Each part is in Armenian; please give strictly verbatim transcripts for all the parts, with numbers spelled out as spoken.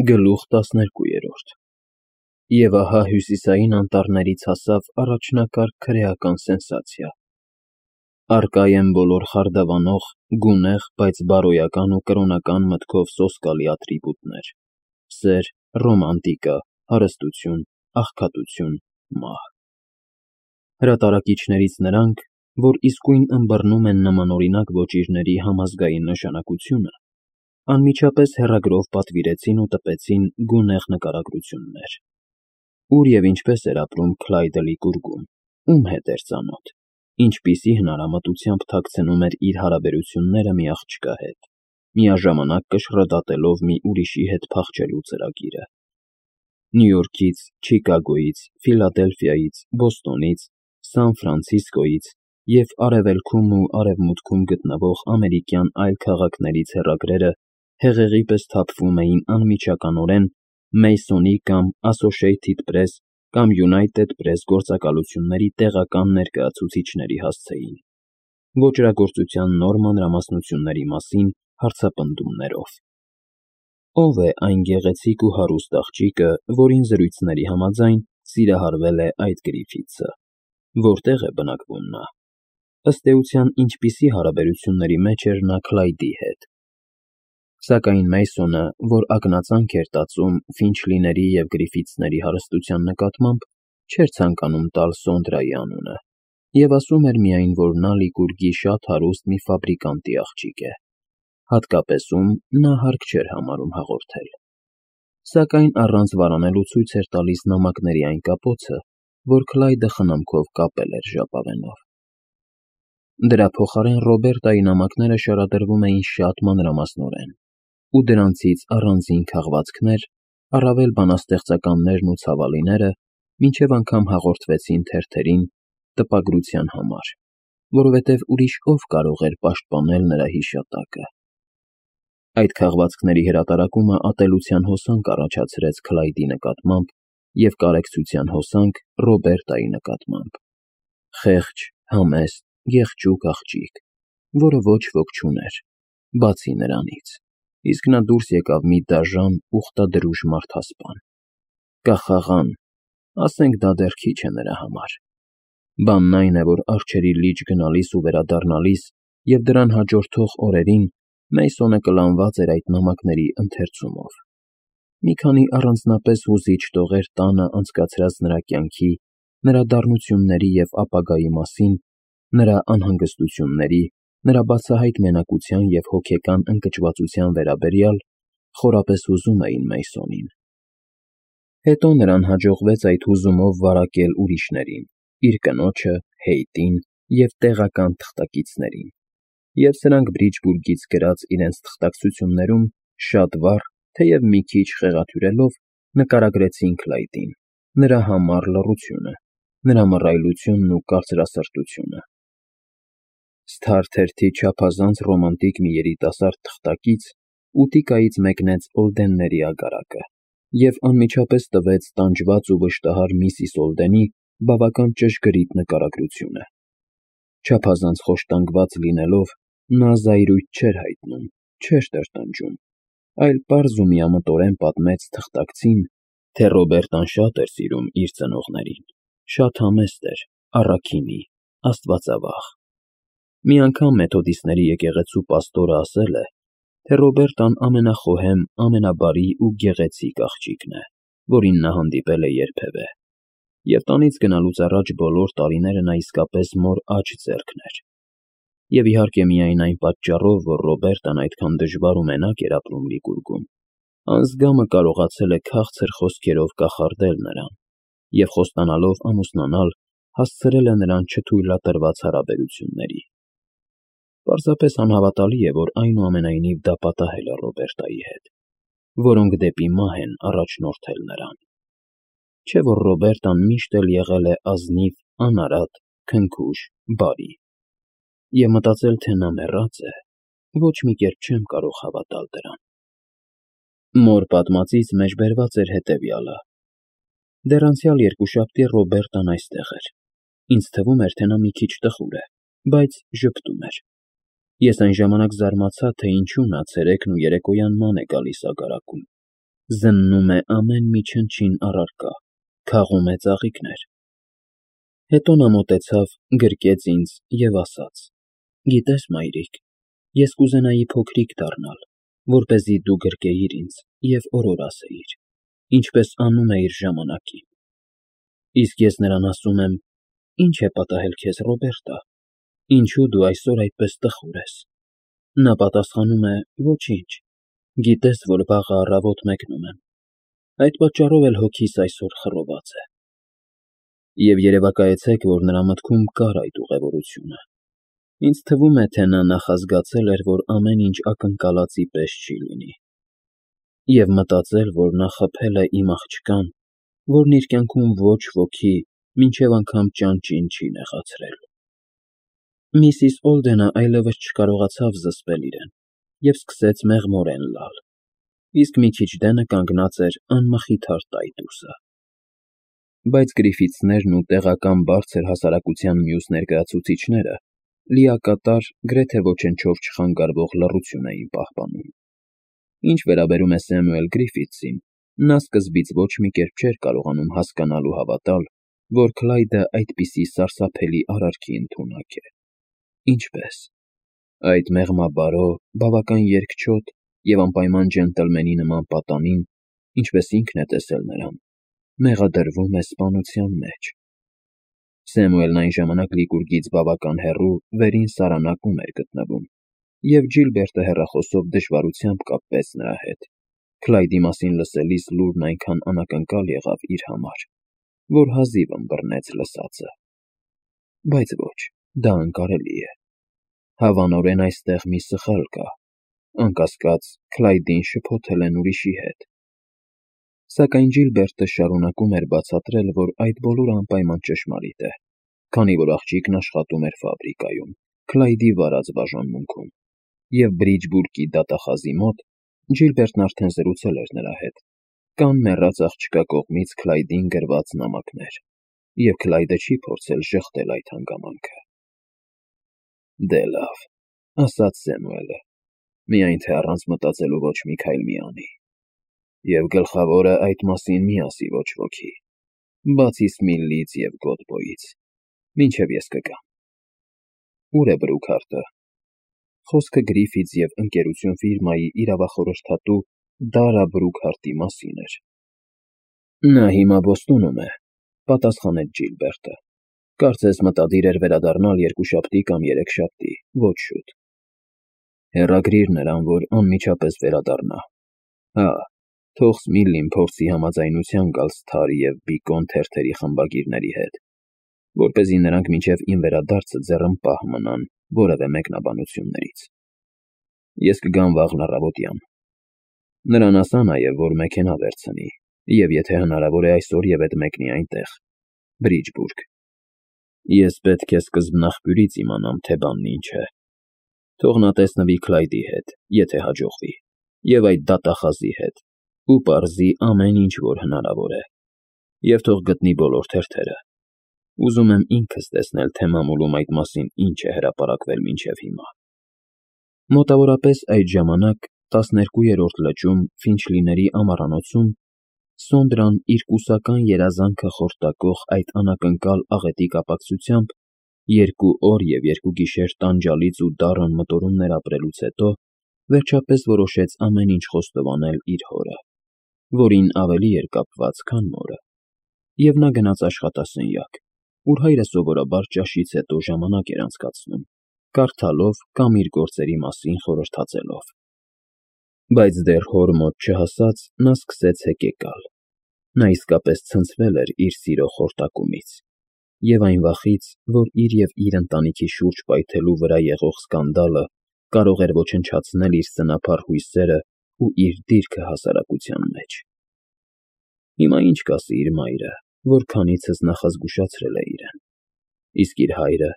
Գլուխ տասներկուերորդ Եվ ահա հյուսիսային անտառներից հասավ առաջնակարգ քրեական սենսացիա. առկա են բոլոր խարդավանող, գունեղ, բայց բարոյական ու կրոնական մտքով սոսկալի ատրիբուտներ՝ սեր, ռոմանտիկա, հարստություն, աղքատություն, մահ։ Հրատարակիչներից նրանք, որ իսկույն ըմբռնում են նմանօրինակ ոճիրների համազգային նշանակությունը, անմիջապես հեռագրով պատվիրեցին ու տպեցին գունեղ նկարագրություններ. ուր և ինչպես էր ապրում Քլայդը Լիկուրգում, ում հետ էր ծանոթ, ինչպիսի հնարամտությամբ թաքցնում էր իր հարաբերությունները մի աղջկա հետ, միաժամանակ կշռդատելով մի ուրիշի հետ փախչելու ծրագիրը։ Նյու Յորքից, Չիկագոյից, Ֆիլադելֆիայից, Բոստոնից, Սան Ֆրանցիսկոյից և արևելքում ու արևմուտքում գտնվող ամերիկյան այլ քաղաքներից հեռագրերը հեղեղի պես թափվում էին անմիջականորեն Մեյսոնի կամ Associated Press կամ United Press գործակալությունների տեղական ներկայացուցիչների հասցեին, ոճրագործության նոր մանրամասնությունների մասին հարցապնդումներով. Ո՞վ է այն գեղեցիկ ու հարուստ աղջիկը, որին զրույցների համաձայն սիրահարվել է այդ Գրիֆիթսը, որտե՞ղ է բնակվում նա, ըստ էության ինչպիսի հարաբերությունների մեջ էր նա Քլայդի հետ։ Սակայն Մեյսոնը, որ ակնածանք էր տածում Ֆինչլիների և Գրիֆիթսների հարստության նկատմամբ, չէր ցանկանում տալ Սոնդրայի անունը և ասում էր միայն, որ նա Լիկուրգի շատ հարուստ մի ֆաբրիկանտի աղջիկ է, հատկապես ում նա հարկ չէր համարում հաղորդել, սակայն առանց վարանելու ցույց էր տալիս նամակների այն կապոցը, որ Քլայդը խնամքով կապել էր ժապավենով։ Դրա փոխարեն Ռոբերտայի նամակները շարադրվում էին շատ մանրամասնորեն, ու դրանցից առանձին քաղվածքներ, առավել բանաստեղծականներն ու ցավալիները մինչև անգամ հաղորդվեցին թերթերին տպագրության համար, որովհետև ուրիշ ո՞վ կարող էր պաշտպանել նրա հիշատակը։ Այդ քաղվածքների հրատարակումը ատելության հոսանք առաջացրեց Քլայդի նկատմամբ և կարեկցության հոսանք Ռոբերտայի նկատմամբ։ Խեղճ, համեստ, եղճուկ աղջիկ, որը ոչ ոք չուներ, բացի նրանից, իսկ նա դուրս եկավ մի դաժան, ուխտադրուժ մարդասպան։ Կախաղան, ասենք դա դեռ քիչ է նրա համար։ Բանն այն է, որ առջևի լիճ գնալիս ու վերադառնալիս և դրան հաջորդող օրերին Մեյսոնը կլանված էր այդ նամակների ընթերցումով։ Մի քանի առանձնապես հուզիչ տողեր տանը անցկացրած նրա կյանքի, նրա դառնությունների և ապագայի մասին, նրա անհանգստությունների, նրա բացահայտ մենակության և հոգեկան ընկճվածության վերաբերյալ խորապես հուզում էին Մեյսոնին։ Հետո նրան հաջողվեց այդ հուզումով վարակել ուրիշներին՝ իր կնոջը, Հեյթին և տեղական թղթակիցներին, և սրանք Բրիջբուրգից գրած իրենց թղթակցություններում շատ վառ, թեև մի քիչ խեղաթյուրելով նկարագրեցին Քլայդին, նրա համառ լռությունը, նրա մռայլությունն ու կարծրասրտությունը։ Սթար թերթի չափազանց ռոմանտիկ մի երիտասարդ թղթակից ուտիկայից մեկնեց Օլդենների ագարակը և անմիջապես տվեց տանջված ու վշտահար միսիս Օլդենի բավական ճշգրիտ նկարագրությունը։ Չափազանց խոշտանգված լինելով, նա զայրույթ չէր հայտնում, չէր տրտնջում, այլ պարզ ու միամտորեն պատմեց թղթակցին, թե Ռոբերտան շատ էր սիրում իր ծնողներին, շատ համեստ էր, առաքինի, աստվածավախ։ Մի անգամ մեթոդիստների եկեղեցու պաստորը ասել է, թե Ռոբերտան ամենախոհեմ, ամենաբարի ու գեղեցիկ աղջիկն է, որին նա հանդիպել է երբևէ, և տանից գնալուց առաջ բոլոր տարիները նա իսկապես մոր աջ ձեռքն էր։ Եվ իհարկե միայն այն պատճառով, որ Ռոբերտան այդքան դժվար ու մենակ էր ապրում Լիկուրգում, անձգամը կարողացել է քաղցր խոսքերով կախարդել նրան և, խոստանալով ամուսնանալ, հասցրել է նրան չթույլատրված հարաբերությունների։ Պարզապես անհավատալի է, որ այնուամենայնիվ դա պատահել է Ռոբերտայի հետ, որոնք դեպի մահ են առաջնորդել նրան։ Չէ՞ որ Ռոբերտան միշտ էլ եղել է ազնիվ, անարատ, քնքուշ, բարի։ Եվ մտածել, թե նա մեռած է, ոչ մի կերպ չեմ կարող հավատալ դրան։ Մոր պատմածից մեջբերված էր հետևյալը. դեռ անցյալ երկուշաբթի Ռոբերտան այստեղ էր։ Ինձ թվում էր, թե նա մի քիչ տխուր է, բայց ժպտում էր։ Ես այն ժամանակ զարմացա, թե ինչու նա ցերեկն ու երեկոյան ման է գալիս ագարակում։ զննում է ամեն մի չնչին առարկա, քաղում է ծաղիկներ։ Հետո նա մոտեցավ, գրկեց ինձ և ասաց. «Գիտես, մայրիկ, ես կուզենայի փոքրիկ դառնալ, որպեսզի դու գրկեիր ինձ և օրոր ասեիր, ինչպես անում էիր ժամանակին»։ Իսկ ես նրան ասում եմ. «Ի՞նչ է պատահել քեզ, Ռոբերտա, ինչու դու այսօր այդպես տխուր ես»։ Նա պատասխանում է. «Ոչինչ, գիտես, որ վաղը առավոտ մեկնում եմ, այդ պատճառով էլ հոգիս այսօր խռոված է»։ Եվ երևակայեցեք, որ նրա մտքում կար այդ ուղևորությունը։ Ինձ թվում է, թե նա նախազգացել էր, որ ամեն ինչ ակնկալածի պես չի լինի, և մտածել, որ նա խփել է իմ աղջկան, որն իր կյանքում ոչ ոքի, մինչև անգամ ճանճին չի նեղացրել։ Միսիս Օլդենը այլևս չկարողացավ զսպել իրեն և սկսեց մեղմորեն լալ, իսկ մի քիչ դենը կանգնած էր անմխիթար տայտուսը։ Բայց Գրիֆիթսներն ու տեղական բարձր հասարակության մյուս ներկայացուցիչները լիակատար, գրեթե ոչնչով չխանգարվող լռություն էին պահպանում։ Ինչ վերաբերում է Սեմուել Գրիֆիթսին, նա սկզբից ոչ մի կերպ չէր կարողանում հասկանալ ու հավատալ, որ Քլայդը այդպիսի սարսափելի արարքի ընդունակ է։ Ինչպե՞ս։ Այդ մեղմաբարո, բավական երկչոտ և անպայման ջենտլմենի նման պատանին, ինչպես ինքն է տեսել նրան, մեղադրվում է սպանության մեջ։ Սեմուելն այն ժամանակ Լիկուրգից բավական հեռու վերին սարանակում էր գտնվում, և Ջիլբերտը հեռախոսով դժվարությամբ կապվեց նրա հետ, Քլայդի մասին լսելիս լուրն այնքան անակնկալ եղավ իր համար, որ հազիվ ըմբռնեց լսածը։ Բայց ոչ, դա անկարելի է։ Հավանորեն այստեղ մի սխալ կա, անկասկած, Քլայդին շփոթել են ուրիշի հետ։ Սակայն Ջիլբերտը շարունակում էր բացատրել, որ այդ բոլորը անպայման ճշմարիտ է, քանի որ աղջիկն աշխատում էր ֆաբրիկայում, Քլայդի վարած բաժանմունքում, և Բրիջբուրգի դատախազի մոտ Ջիլբերտն արդեն զրուցել էր նրա հետ, կան մեռած աղջկա կողմից Քլայդին գրված նամակներ, և Քլայդը չի փորձել ժխտել այդ հանգամանքը։ Դե լավ, ասաց Սեմուելը, միայն թե առանց մտածելու ոչ մի քայլ մի անի։ Եվ գլխավորը այդ մասին մի ասի ոչ ոքի, բացի Սմիլլից և Գոդբոյից, մինչև ես կգամ։ Ո՞ւր է Բրուքհարտը։ Խոսքը Գրիֆիթս և ընկերություն ֆիրմայի իրավախորհրդատու Դարա Բրուքհարտի մասին էր։ Նա հիմա Բոստոնում է, պատասխանեց Ջիլբերտը։ Կարծես մտադիր էր վերադառնալ երկուշաբթի կամ երեքշաբթի, ոչ շուտ։ Հեռագրիր նրան, որ անմիջապես վերադառնա։ Հա, թող Սմիլլին փորձի համաձայնության գալ Սթար և Բիկոն թերթերի խմբագիրների հետ, որպեսզի նրանք մինչև իմ վերադարձը ձեռնպահ մնան որևէ մեկնաբանություններից։ Ես կգամ վաղն առավոտյան։ Նրան ասա նաև, որ մեքենա վերցնի, և եթե հնարավոր է այսօր և էդ մեկնի այնտեղ, Բրիջբուրգ։ Ես պետք է սկզբնաղբյուրից իմանամ, թե բանն ինչ է։ Թող նա տեսնվի Քլայդի հետ, եթե հաջողվի, և այդ դատախազի հետ, ու պարզի ամեն ինչ, որ հնարավոր է, և թող գտնի բոլոր թերթերը։ Ուզում եմ ինքս տեսնել, թե մամուլում այդ մասին ինչ է հրապարակվել մինչև հիմա։ Մոտավորապես այդ ժամանակ տասներկուերորդ լճում Ֆինչլիների ամառանոցում Սոնդրան իր կուսական երազանքը խորտակող այդ անակնկալ աղետի կապակցությամբ երկու օր և երկու գիշեր տանջալից ու դառն մտորումներ ապրելուց հետո վերջապես որոշեց ամեն ինչ խոստովանել իր հորը, որին ավելի էր կապված, քան մորը, և նա գնաց աշխատասենյակ, ուր հայրը սովորաբար ճաշից հետո ժամանակ էր անցկացնում, կարդալով կամ իր գործերի մասին խորհրդածելով։ Բայց դեռ հոր մոտ չհասած նա սկսեց հեկեկալ։ Նա իսկապես ցնցվել էր իր սիրո խորտակումից և այն վախից, որ իր և իր ընտանիքի շուրջ պայթելու վրա եղող սկանդալը կարող էր ոչնչացնել իր սնափառ հույսերն ու իր դիրքը հասարակության մեջ։ Հիմա ինչ կասի իր մայրը, որ քանիցս նախազգուշացրել է իրեն, իսկ իր հայրը,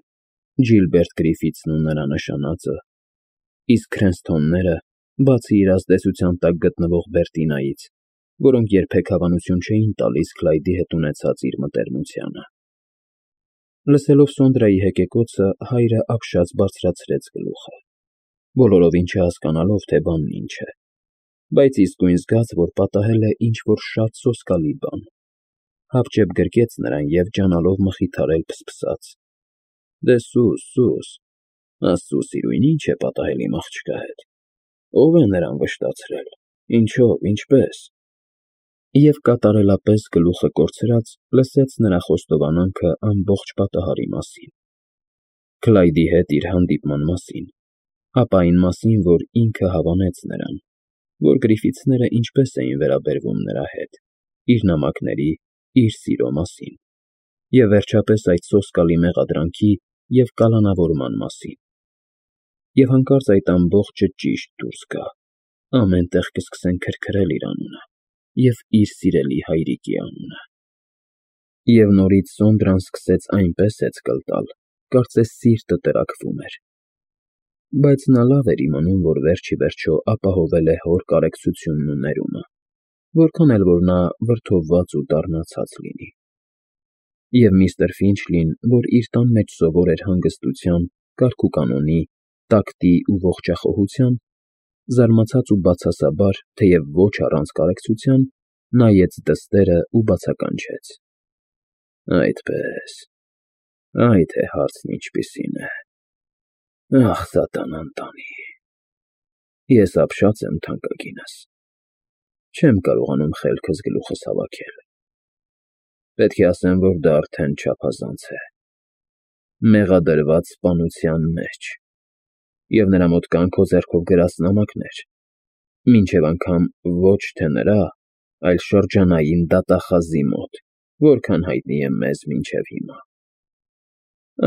Ջիլբերտ Գրիֆիթսն ու նրա նշանածը, իսկ Քրենսթոնները, բացի իր ազդեցության տակ գտնվող Բերտինայից, որոնք երբեք հավանություն չէին տալիս Քլայդի հետ ունեցած իր մտերմությանը։ Լսելով Սոնդրայի հեկեկոցը, հայրը ապշած բարձրացրեց գլուխը, բոլորովին չհասկանալով, թե բանն ինչ է, բայց իսկույն զգաց, որ պատահել է ինչ-որ շատ սոսկալի բան, հապճեպ գրկեց նրան և ջանալով մխիթարել փսփսաց. «Դե սուս, սուս, Աստծու սիրուն, ի՞նչ է պատահել իմ աղջկա հետ, ո՞վ է նրան վշտացրել, ինչո՞վ, ինչպե՞ս»։ Եվ կատարելապես գլուխը կորցրած լսեց նրա խոստովանանքը ամբողջ պատահարի մասին, Քլայդի հետ իր հանդիպման մասին, ապա այն մասին, որ ինքը հավանեց նրան, որ Գրիֆիթսները ինչպես էին վերաբերվում նրա հետ, իր նամակների, իր սիրո մասին, և վերջապես այդ սոսկալի մեղադրանքի և կալանավորման մասին։ Եվ հանկարծ այդ ամբողջը ճիշտ դուրս գա, ամեն տեղ կսկսեն քրքրել իր անունը և իր սիրելի հայրիկի անունը։ Եվ նորից Սոնդրան սկսեց այնպես հեծկլ տալ, կարծես սիրտը տրաքվում էր։ Բայց նա լավ էր իմանում, որ վերջ ի վերջո ապահովել է հոր կարեկցությունն ու ներումը, որքան էլ որ նա վրդովված ու դառնացած լինի։ Եվ միստր Ֆինչլին, որ իր տան մեջ սովոր էր հանգստության, կարգուկանոնի, տակտի ու ողջախոհության, զարմացած ու բացասաբար, թեև ոչ առանց կարեկցության, նայեց դստերը ու բացականչեց. «Այդպե՜ս, այ թե հարցն ինչպիսին է, ախ, սատանան տանի, ես ապշած եմ, թանկագինս, չեմ կարողանում խելքս գլուխս հավաքել, պետք է ասեմ, որ դա արդեն չափազանց է, մեղադրված սպանության մեջ, և նրա մոտ կան քո ձեռքով գրած նամակներ, մինչև անգամ ոչ թե նրա, այլ շրջանային դատախազի մոտ, որքան հայտնի է մեզ մինչև հիմա։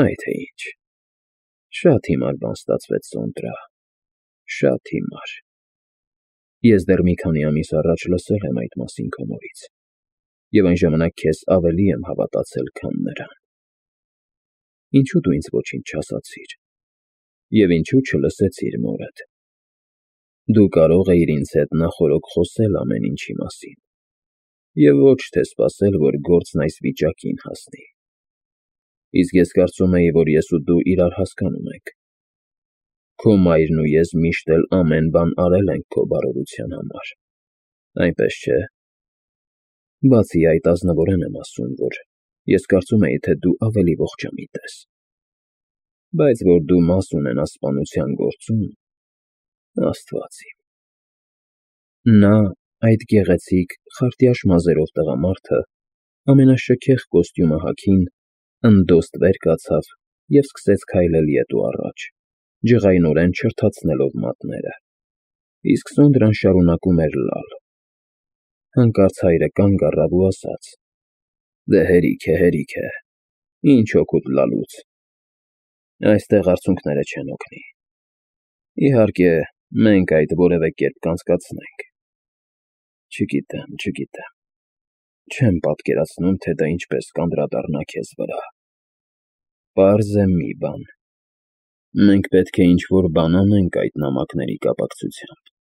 Այ թե ինչ, շատ հիմար բան ստացվեց, Սոնդրա, շատ հիմար։ Ես դեռ մի քանի ամիս առաջ լսել եմ այդ մասին քո մորից, և այն ժամանակ քեզ ավելի եմ հավատացել, քան նրան։ Ինչո՞ւ դու ինձ ոչինչ չասացիր, և ինչո՞ւ չլսեցիր մորդ։ Դու կարող էիր ինձ հետ նախօրոք խոսել ամեն ինչի մասին, և ոչ թե սպասել, որ գործն այս վիճակին հասնի։ Իսկ ես կարծում էի, որ ես ու դու իրար հասկանում ենք։ Քո մայրն ու ես միշտ էլ ամեն բան արել ենք քո բարօրության համար, այնպես չէ՞։ Բացի այդ, ազնվորեն եմ ասում, որ ես կարծում էի, թե դու ավելի ողջամիտ ես, բայց որ դու մաս ունենաս սպանության գործում, Աստված իմ։ Նա, այդ գեղեցիկ, խարտյաշ մազերով տղամարդը, ամենաշքեղ կոստյումը հագին, ընդոստ վեր կացավ և սկսեց քայլել ետ ու առաջ, ջղայնորեն չրթացնելով մատները, իսկ Սոնդրան շարունակում էր լալ։ Հանկարծ հայրը կանգ առավ ու ասաց. «Դե հերիք է, հերիք է, ինչ օգուտ լալուց, այստեղ արցունքները չեն օգնի։ Իհարկե, մենք այդ որևէ կերպ կանցկացնենք։ Չգիտեմ, չգիտեմ, չեմ պատկերացնում, թե դա ինչպես կանդրադառնա քեզ վրա։ Պարզ է մի բան. մենք պետք է ինչ֊որ բան անենք այդ նամակների կապակցությամբ»։